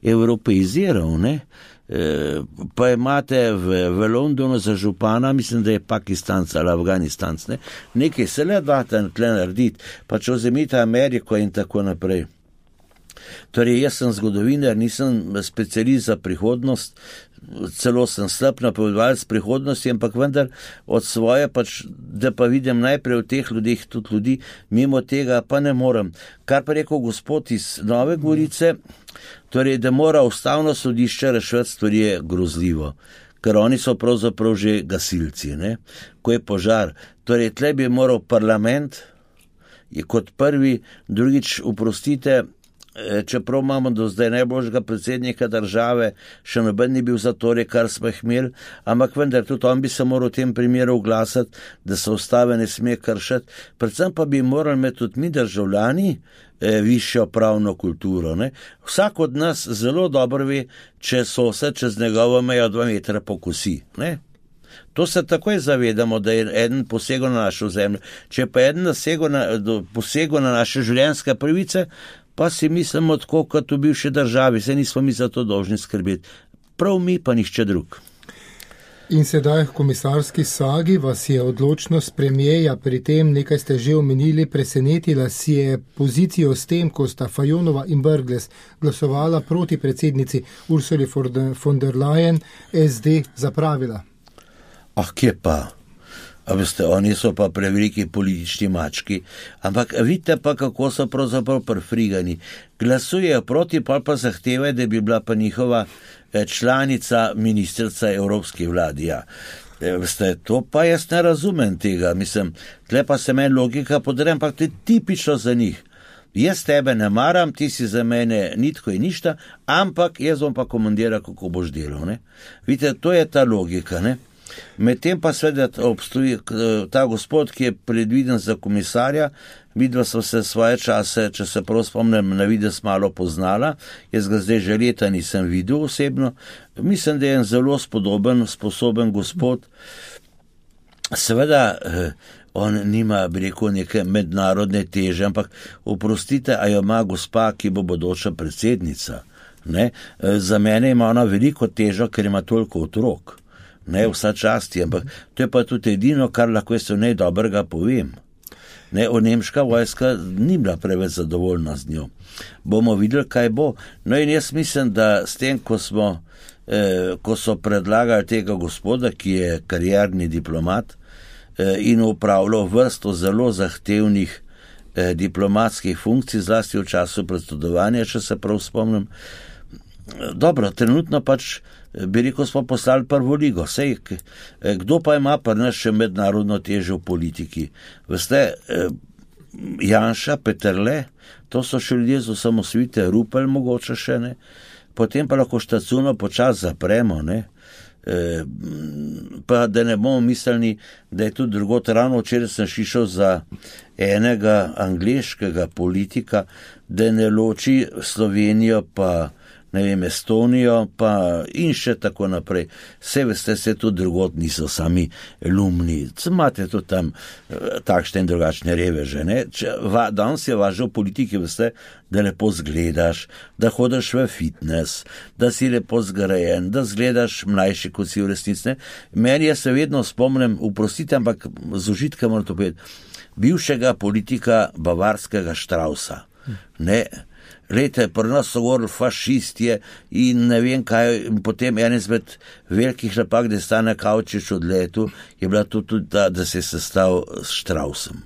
Speaker 3: evropeiziral, ne? Pa imate v Londonu za župana, mislim, da je Pakistanc ali Afganistanc, ne? Nekaj se le date tle narediti, pa če vzemite Ameriko in tako naprej. Torej, jaz sem zgodovinar, nisem specialist za prihodnost, celo sem slab napovedovalec prihodnosti, ampak vendar od svoje da pa vidim najprej v teh ljudeh tudi ljudi, mimo tega pa ne morem. Kar pa rekel gospod iz Nove Gorice, torej, da mora ustavno sodišče reševati stvari, je grozljivo, ker oni so pravzaprav že gasilci, ne? Ko je požar. Torej, tle bi moral parlament, je kot prvi, drugič, oprostite, čeprav imamo do zdaj najboljšega predsednika države, še noben ni bil za torej, kar smo jih imeli, ampak vendar tudi on bi se moral v tem primeru oglasiti, da se ustave ne sme kršiti, predvsem pa bi morali imeti tudi mi državljani višjo pravno kulturo. Ne? Vsak od nas zelo dobro ve, če sosed čez njegovo mejo 2 metra pokosi. Ne? To se takoj zavedamo, da je eden posegel na našo zemljo. Če pa eden posegel na naše življenjske pravice, pa si mislimo tako, kot v bivši državi, se nismo mi za to dolžni skrbeti. Prav mi, pa nihče drug.
Speaker 2: In sedaj v komisarski sagi vas je odločnost premijeja pri tem, nekaj ste že omenili, presenetila si je pozicijo s tem, ko sta Fajonova in Brglez glasovala proti predsednici Ursuli von der Leyen, SD zapravila.
Speaker 3: Kje pa? A veste, oni so pa preveliki politični mački, ampak vidite pa, kako so pravzaprav prefrigani. Glasujejo proti, pa zahtevajo, da bi bila pa njihova članica ministrica Evropske vlade. Ja. Veste, to pa jaz ne razumem tega, mislim, tle pa se meni logika podre, ampak to je tipično za njih. Jaz tebe ne maram, ti si za mene nitko in ništa, ampak jaz bom pa komandiral, kako boš delal. Ne? Vidite, to je ta logika, ne? Medtem pa seveda obstoji ta gospod, ki je predviden za komisarja, vidva so se svoje čase, če se prav spomnim, na vides malo poznala, jaz ga zdaj že leta nisem videl osebno, mislim, da je en zelo sposoben gospod, seveda on nima, bi rekel, neke mednarodne teže, ampak oprostite, a jo ima gospa, ki bo bodoča predsednica, ne? Za mene ima ona veliko težo, ker ima toliko otrok. Ne, vsa časti, ampak to je pa tudi edino, kar lahko jaz v nej dobrega povem. Ne, nemška vojska ni bila preveč zadovoljna z njo. Bomo videli, kaj bo. No in jaz mislim, da s tem, ko so predlagali tega gospoda, ki je karierni diplomat in upravljal vrsto zelo zahtevnih diplomatskih funkcij, zlasti v času predsedovanja, če se prav spomnim. Dobro, trenutno bi rekel, smo poslali prvo ligo. Sej, kdo pa ima pa nas še mednarodno težo v politiki? Veste, Janša, Peterle, to so še ljudje z osamosvojitve, Rupel mogoče še, ne? Potem pa lahko štacuno počas zapremo, ne? Pa da ne bomo mislili, da je tudi drugot. Ravno včeraj sem šišel za enega angleškega politika, da ne loči Slovenijo pa ne vem, Estonijo, pa in še tako naprej. Vse veste, se tudi drugot niso sami lumni. Imate tudi tam takšne in drugačne reveže, ne? Danes je važno v politiki, veste, da lepo zgledaš, da hodiš v fitness, da si lepo zgrajen, da zgledaš mlajši, kot si v resnici, ne? Meni je se vedno spomnim, oprostite, ampak z užitkom moram to povedati, bivšega politika bavarskega Straussa, ne? Lejte, pri nas so govorili fašistje in ne vem kaj, in potem en izmed velikih napak, da je Stane Kavčič odletel, je bila tudi ta, da se je sestal s Straussom.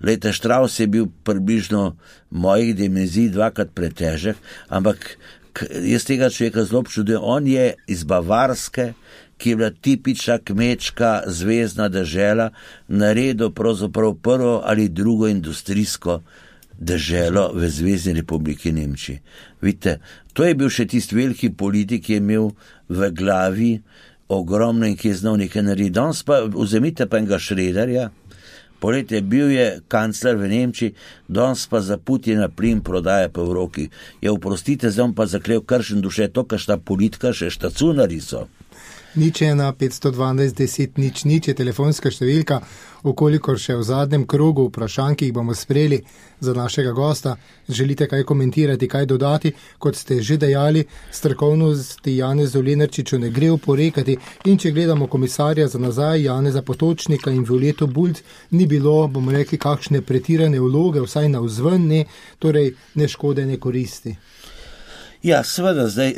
Speaker 3: Lejte, Strauss je bil približno mojih dimenzij 2-krat pretežek, ampak jaz tega človeka zelo občudujem, on je iz Bavarske, ki je bila tipična kmečka zvezdna dežela, naredil pravzaprav prvo ali drugo industrijsko deželo v Zvezni republiki Nemčiji. Vidite, to je bil še tisti veliki politik, ki je imel v glavi ogromno in ki je znal nekaj narediti. Danes pa vzemite pa enega Schröderja, poletje bil je kancler v Nemčiji, danes pa za Putina plin prodaja po Evropi. Ja, oprostite, zdaj pa zaklel kršen duše, to, kar šta politika še štacunari so.
Speaker 2: 0,1 512 10 0 je telefonska številka, okolikor še v zadnjem krogu vprašanj, ki jih bomo sprejeli za našega gosta, želite kaj komentirati, kaj dodati, kot ste že dejali, strokovnosti Janezu Lenarčiču ne gre oporekati in če gledamo komisarja za nazaj, Janeza Potočnika in Violeto Bulc, ni bilo, bomo rekli, kakšne pretirane vloge, vsaj navzven ne, torej ne škode, ne koristi.
Speaker 3: Ja, seveda, zdaj,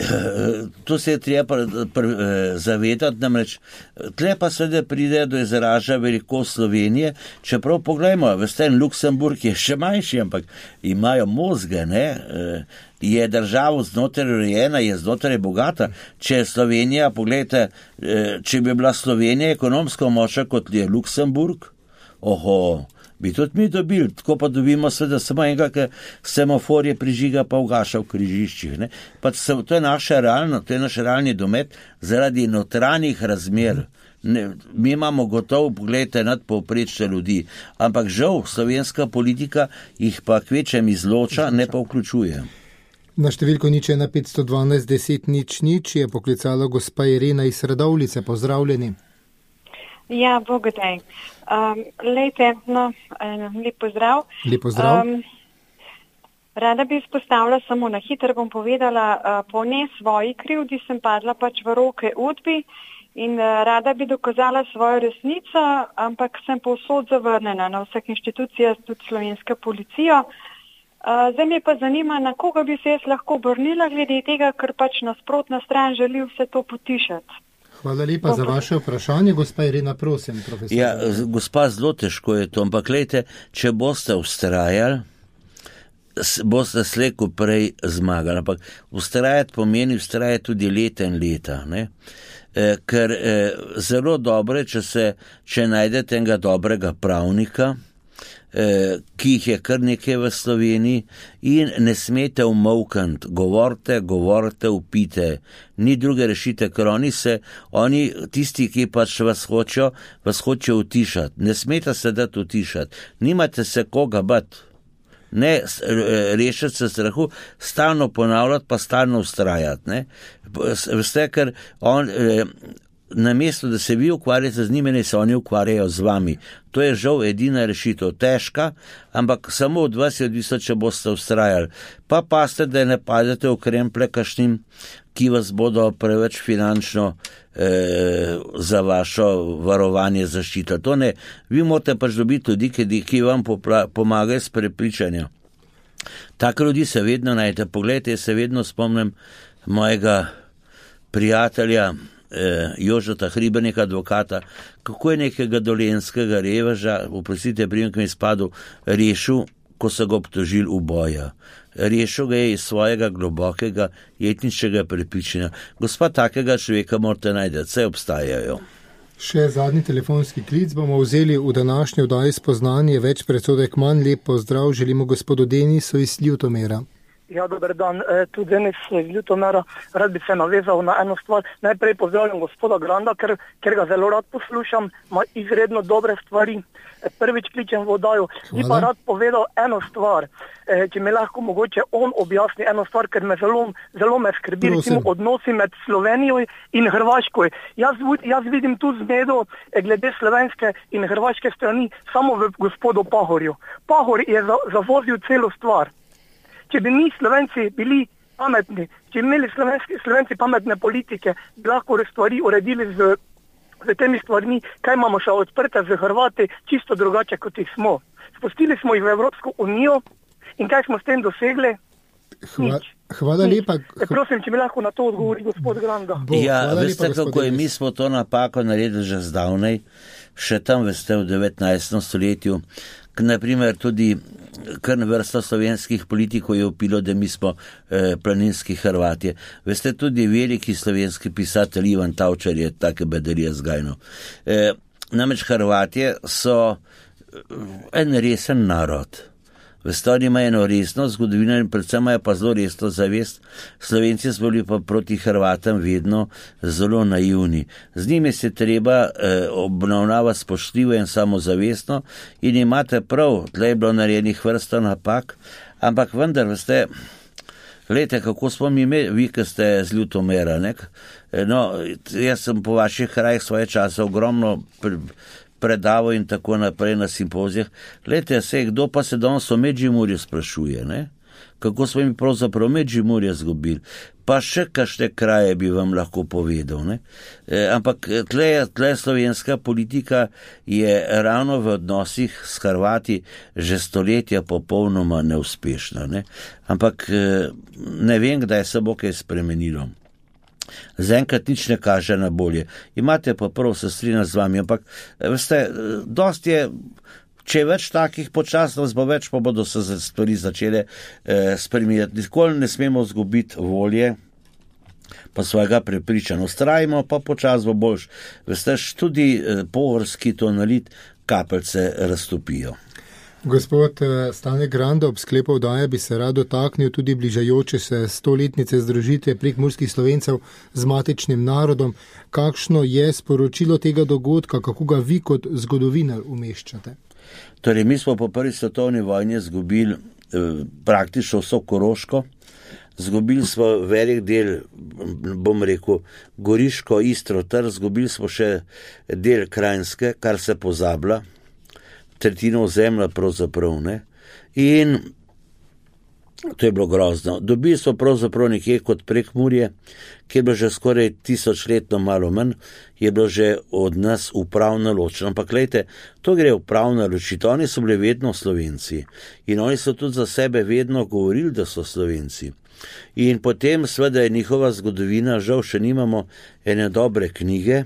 Speaker 3: to se je treba zavedati, namreč, tle pa seveda pride do izraža velikost Slovenije, čeprav pogledajmo, veste, Luksemburg je še manjši, ampak imajo mozge, ne, je država znotraj urejena, je znotraj bogata, če je Slovenija, pogledajte, če bi bila Slovenija ekonomsko močna kot je Luksemburg, bi tudi mi dobili, tako pa dobimo seveda samo enega, ki semafor je prižiga pa ugaša v križiščih. Ne? To je naše naš realni domet zaradi notranjih razmer. Mi imamo gotovo, pogledajte, nadpovprečne ljudi, ampak žal slovenska politika jih pa kvečem izloča, ne pa vključuje.
Speaker 2: Na številko 0,1 512 10 0 je poklicala gospa Irena iz Radovljice. Pozdravljeni.
Speaker 6: Ja, bogodaj. Lejte, lep pozdrav.
Speaker 2: Lep pozdrav.
Speaker 6: Rada bi izpostavila, samo na hitro bom povedala, po ne svoji krivdi sem padla pač v roke udbi in rada bi dokazala svojo resnico, ampak sem povsod zavrnjena na vseh inštitucijah, tudi slovenska policija. Zdaj me pa zanima, na koga bi se jaz lahko obrnila glede tega, ker pač nasprotna stran želi vse to potišati.
Speaker 2: Hvala lepa za vaše vprašanje. Gospa Irena, prosim, profesor.
Speaker 3: Ja, gospa, zelo težko je to, ampak glejte, če boste vztrajali, boste slej ko prej zmagali. Ampak vztrajati pomeni vztrajati tudi leta in leta, ne? Ker zelo dobro je, če najdete enega dobrega pravnika, ki jih je kar nekaj v Sloveniji in ne smete umolkniti, govorite, upite, ni druge rešite, ker oni, tisti, ki pač vas hočejo utišati, ne smete se dati utišati, nimate se koga bati, ne rešiti se strahu, stalno ponavljati, pa stalno ustrajati, ne, veste, ker namesto, da se vi ukvarjate z njimi, ne se oni ukvarjajo z vami. To je žal edina rešitev, težka, ampak samo od vas je odvisno, če boste ustrajali. Pa paste, da ne padete v kremple kašnim, ki vas bodo preveč finančno za vašo varovanje zaščita. To ne, vi morate pač dobiti ljudi, ki vam pomagajo s prepričanjem. Tako ljudi se vedno najdete. Poglejte, se vedno spomnim mojega prijatelja, Jožeta Hribernika, advokata, kako je nekega dolenskega reveža, oprostite, prijem, ki mi spadil, rešil, ko so ga obtožili uboja. Rešil ga je iz svojega globokega etničnega prepričanja. Gospa, takega človeka morate najti, vse obstajajo.
Speaker 2: Še zadnji telefonski klic bomo vzeli v današnji oddaji Spoznanje več, predsodek manj. Lep pozdrav želimo gospodu Denisu iz Ljutomera.
Speaker 7: Ja, dober dan. Tudi Denis iz Ljutomera. Rad bi se navezal na eno stvar. Najprej pozdravljam gospoda Granda, ker ga zelo rad poslušam, ima izredno dobre stvari. Prvič kličem v oddajo. Bi pa rad povedal eno stvar, če mi lahko mogoče on objasni eno stvar, ker me zelo me skrbi, recimo odnosi med Slovenijo in Hrvaško. Jaz vidim tu zmedo glede slovenske in hrvaške strani samo v gospodu Pahorju. Pahor je zavozil celo stvar. Če bi mi Slovenci bili pametni, če bi imeli Slovenci pametne politike, bi lahko stvari uredili z temi stvarmi, kaj imamo še odprte z Hrvati, čisto drugače kot jih smo. Spustili smo jih v Evropsko unijo in kaj smo s tem dosegli?
Speaker 2: Hvala lepa.
Speaker 7: Prosim, če mi lahko na to odgovori gospod Granda.
Speaker 3: Ja, veste, kako je, mi smo to napako naredili že zdavnej, še tam, veste, v 19. stoletju, naprimer tudi kar vrsta slovenskih politikov je upilo, da mi smo planinski Hrvatje. Veste, tudi veliki slovenski pisatelj Ivan Tavčar je take bedarije zgajno. Namreč Hrvatje so en resen narod. Veste, oni imajo eno resno zgodovino in predvsem imajo pa zelo resno zavest. Slovenci smo bili pa proti Hrvatam vedno zelo naivni. Z njimi se treba obravnavati spoštljivo in samozavestno in imate prav, tle je bilo narejenih vrsto napak, ampak vendar, veste, Lejte, kako smo mi, vi, ki ste z Ljutomera, ne? No, jaz sem po vaših krajih svoje čase ogromno predaval in tako naprej na simpozijah. Lejte, kdo pa se danes o Medžimurju sprašuje, ne? Kako smo mi pravzaprav Medžimurje zgubili, pa še kakšne kraje bi vam lahko povedal, ne? Ampak tle slovenska politika je ravno v odnosih s Hrvati že stoletja popolnoma neuspešna, ne? Ampak ne vem, kdaj se bo kaj spremenilo. Zaenkrat nič ne kaže na bolje. Imate pa prav, se strinjam z vami, ampak veste, dosti je. Če je več takih počasnost, bo več, pa bodo se stvari začele spreminjati. Nikoli ne smemo zgubiti volje, pa svojega prepričanja. Ustrajimo, pa počas bo boljš. Veste, tudi pohorski tonalit kapljice raztopijo.
Speaker 2: Gospod Stane Granda, ob sklepu oddaje bi se rad dotaknil tudi bližajoče se 100-letnice združitve prekmurskih Slovencev z matičnim narodom. Kakšno je sporočilo tega dogodka, kako ga vi kot zgodovinar umeščate?
Speaker 3: Torej, mi smo po prvi svetovni vojni izgubili praktično vso Koroško, izgubili smo velik del, bom rekel, Goriško, Istro, Trst, izgubili smo še del Krajinske, kar se pozablja, tretjino ozemlja pravzaprav, ne? In to je bilo grozno. Dobili smo pravzaprav nekje kot Prekmurje, ki je bilo že skoraj 1000-letno malo manj, je bilo že od nas upravno ločeno. Ampak glejte, to gre upravno ločiti. Oni so bili vedno Slovenci in oni so tudi za sebe vedno govorili, da so Slovenci. In potem seveda je njihova zgodovina, žal še nimamo ene dobre knjige.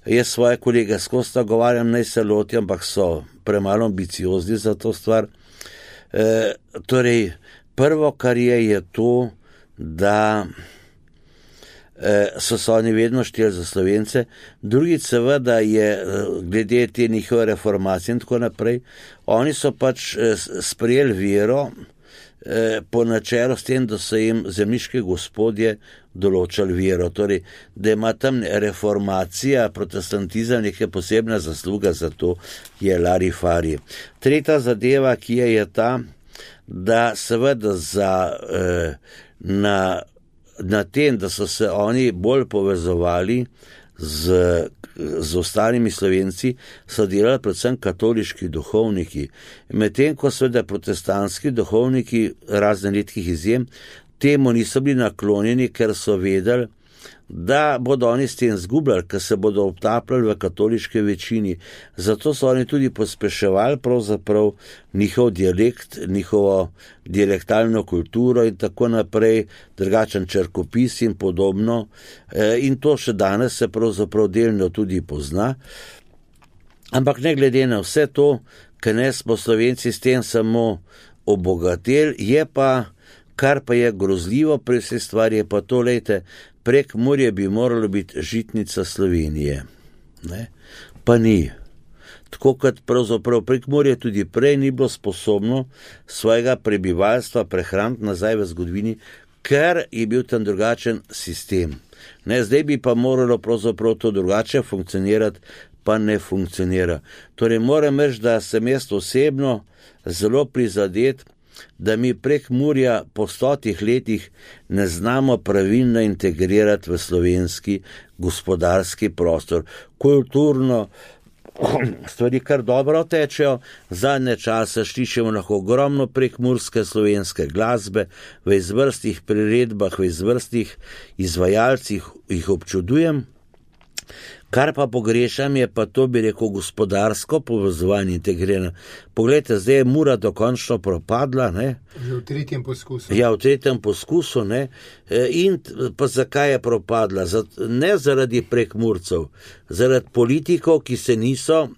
Speaker 3: Jaz svoje kolege skozi nagovarjam, naj se lotijo, ampak so premalo ambiciozni za to stvar. Torej, prvo, kar je to, da so oni vedno šteli za Slovence. Drugič, seveda je, glede te njihove reformacije in tako naprej, oni so pač sprejeli vero po načelu s tem, da so jim zemljiški gospodje določali vero. Torej, da ima tam reformacija, protestantizem neke posebna zasluga, za to je larifari. Tretja zadeva, ki je ta, da seveda na tem, da so se oni bolj povezovali z ostalimi Slovenci, so delali predvsem katoliški duhovniki. Medtem ko seveda protestantski duhovniki, razen redkih izjem, temu niso bili naklonjeni, ker so vedeli, da bodo oni s tem zgubljali, ker se bodo obtapljali v katoliške večini. Zato so oni tudi pospeševali pravzaprav njihov dialekt, njihovo dialektalno kulturo in tako naprej, drugačen črkopis in podobno. In to še danes se pravzaprav delno tudi pozna. Ampak ne glede na vse to, ker ne smo Slovenci s tem samo obogateli, je pa, kar pa je grozljivo pri vsej stvari, je pa to, lejte, Prekmurje bi moralo biti žitnica Slovenije, ne? Pa ni. Tako kot pravzaprav Prekmurje tudi prej ni bilo sposobno svojega prebivalstva prehraniti nazaj v zgodovini, ker je bil tam drugačen sistem. Ne, zdaj bi pa moralo pravzaprav to drugače funkcionirati, pa ne funkcionira. Torej moram reči, da sem jaz osebno zelo prizadet, da mi Prekmurja po 100 letih ne znamo pravilno integrirati v slovenski gospodarski prostor. Kulturno stvari kar dobro tečejo, zadnje čase slišimo lahko ogromno prekmurske slovenske glasbe, v izvrstnih priredbah, v izvrstnih izvajalcih jih občudujem. Kar pa pogrešam je pa to, bi rekel, gospodarsko povezovanje integrirano. Poglejte, zdaj je Mura dokončno propadla, ne?
Speaker 2: Že v 3. poskusu.
Speaker 3: Ja, v 3. poskusu, ne? In pa zakaj je propadla? Ne zaradi Prekmurcev, zaradi politikov, ki se niso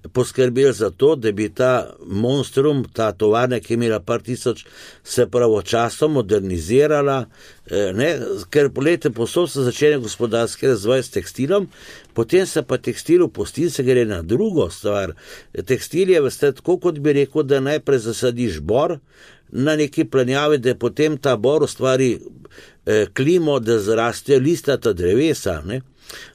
Speaker 3: poskrbeli za to, da bi ta monstrum, ta tovarna, ki je imela par tisoč, se pravočasno modernizirala, ne? Ker polete posod se začne gospodarski razvoj s tekstilom, potem se pa tekstil opusti, se gre na drugo stvar. Tekstil je, veste, tako kot bi rekel, da najprej zasadiš bor, na neki planjavi, da potem ta bor ustvari klimo, da zrastejo listata drevesa, ne.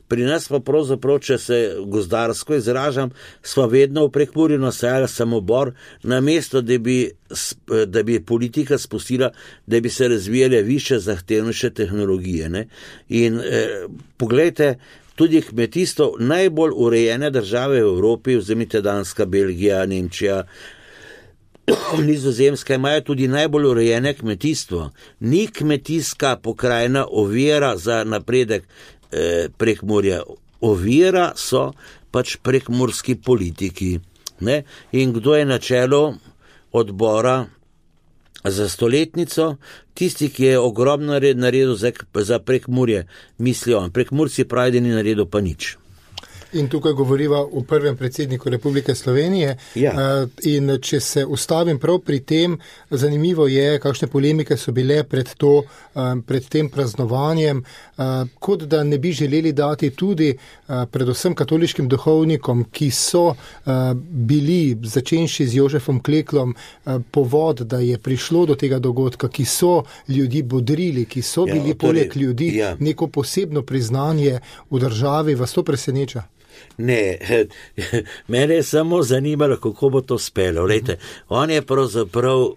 Speaker 3: Pri nas pa pravzaprav, če se gozdarsko izražam, smo vedno v Prekmurju nasajali samo bor, namesto da bi politika spustila, da bi se razvijale više zahtevnejše tehnologije, ne. In poglejte, tudi kmetijstvo, najbolj urejene države v Evropi, vzemite Danska, Belgija, Nemčija, Nizozemska, imajo tudi najbolj urejene kmetijstvo. Ni kmetijska pokrajina ovira za napredek Prekmurja. Ovira so pač prekmurski politiki. Ne? In kdo je na čelu odbora za stoletnico? Tisti, ki je ogromno naredil za Prekmurje, mislijo on. Prekmurci pravi, da ni naredil pa nič.
Speaker 2: In tukaj govoriva o prvem predsedniku Republike Slovenije. Ja. In če se ustavim prav pri tem, zanimivo je, kakšne polemike so bile pred tem praznovanjem, kot da ne bi želeli dati tudi predvsem katoliškim duhovnikom, ki so bili, začenši z Jožefom Kleklom, povod, da je prišlo do tega dogodka, ki so ljudi bodrili, ki so bili poleg ljudi, neko posebno priznanje v državi. Vas to preseneča?
Speaker 3: Ne, mene je samo zanimalo, kako bo to spelo. Lejte, on je pravzaprav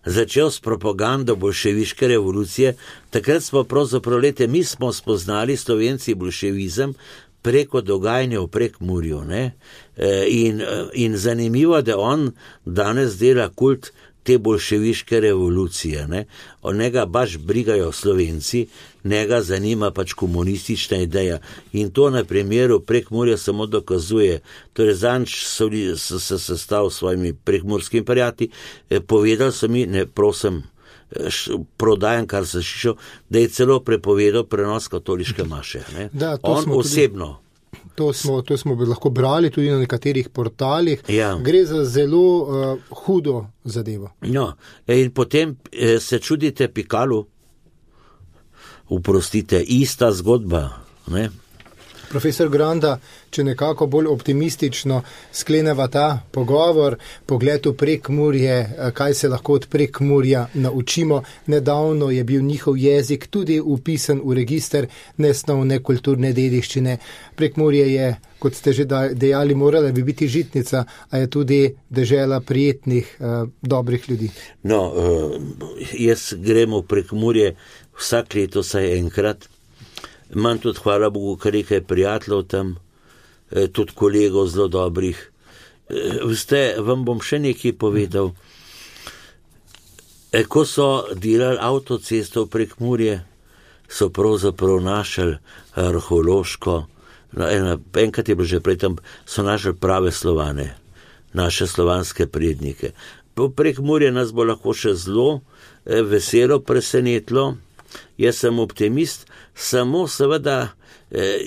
Speaker 3: začel s propagando bolševiške revolucije. Takrat smo pravzaprav, lejte, mi smo spoznali Slovenci bolševizem preko dogajanja v Prekmurju, ne? In zanimivo, da on danes dela kult te bolševiške revolucije, ne? Njega baš brigajo Slovenci, njega zanima pač komunistična ideja. In to na primeru Prekmurja samo dokazuje. Torej, zanč so se sestavili s svojimi prekmurskimi prijatelji, povedali so mi, ne prosim, prodajam, kar se šišel, da je celo prepovedal prenos katoliške maše. Ne?
Speaker 2: Da,
Speaker 3: on osebno.
Speaker 2: To smo lahko brali tudi na nekaterih portalih. Ja. Gre za zelo hudo zadevo.
Speaker 3: No, in potem se čudite Pikalu. Oprostite, ista zgodba, ne?
Speaker 2: Profesor Granda, če nekako bolj optimistično skleneva ta pogovor, pogled v Prekmurje, kaj se lahko od Prekmurja naučimo. Nedavno je bil njihov jezik tudi upisan v register nesnovne kulturne dediščine. Prekmurje je, kot ste že dejali, morala bi biti žitnica, a je tudi dežela prijetnih, dobrih ljudi.
Speaker 3: No, jaz grem v Prekmurje vsak leto saj enkrat. Imam tudi, hvala Bogu, kar nekaj prijateljev tam, tudi kolegov zelo dobrih. Veste, vam bom še nekaj povedal. Ko so delali avtocesto v Prekmurje, so pravzaprav našli arheološko, enkrat je bilo že prej tam, so našli prave Slovane, naše slovanske prednike. Po Prekmurje nas bo lahko še zelo veselo presenetilo. Jaz sem optimist, samo seveda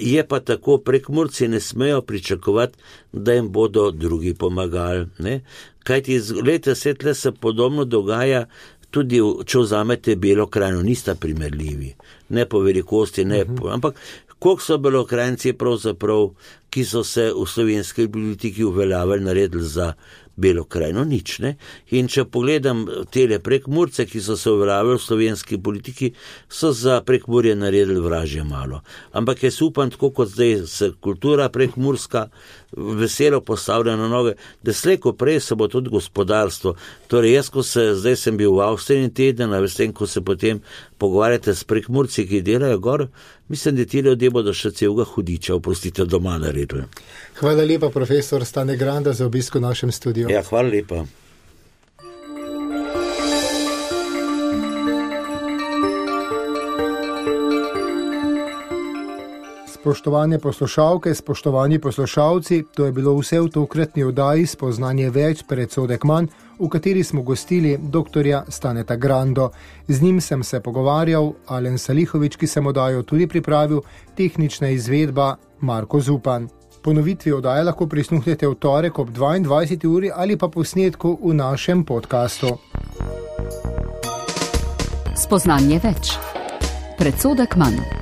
Speaker 3: je pa tako, Prekmurci ne smejo pričakovati, da jim bodo drugi pomagali. Ne? Kajti, gledajte, svetle se podobno dogaja tudi, če vzamete Belo krajino, nista primerljivi. Ne po velikosti, ne po... Ampak, koliko so Belokranjci pravzaprav, ki so se v slovenski politiki uveljavili, naredili za Belo krajino, nič, ne? In če pogledam tele Prekmurce, ki so se uveljavili v slovenski politiki, so za Prekmurje naredili vražje malo. Ampak jaz upam, tako kot zdaj se kultura prekmurska veselo postavlja na noge, da slej ko prej se bo tudi gospodarstvo. Torej, jaz, zdaj sem bil v Avstriji teden, a veste, ko se potem pogovarjate s Prekmurci, ki delajo gor, mislim, da ti ljudje bodo še celega hudiča, oprostite, doma naredili.
Speaker 2: Hvala lepa, profesor Stane Granda, za obisk v našem studiu.
Speaker 3: Ja, hvala lepa.
Speaker 2: Spoštovane poslušalke, spoštovani poslušalci, to je bilo vse v tokratni oddaji Spoznanje več, predsodek manj, v kateri smo gostili doktorja Staneta Grando. Z njim sem se pogovarjal, Alen Salihovič, ki sem oddajo tudi pripravil, tehnična izvedba Marko Zupan. Ponovitvi oddaje lahko prisluhnete v torek ob 22. uri ali pa posnetku v našem podkastu.
Speaker 1: Spoznanje več, predsodek manj.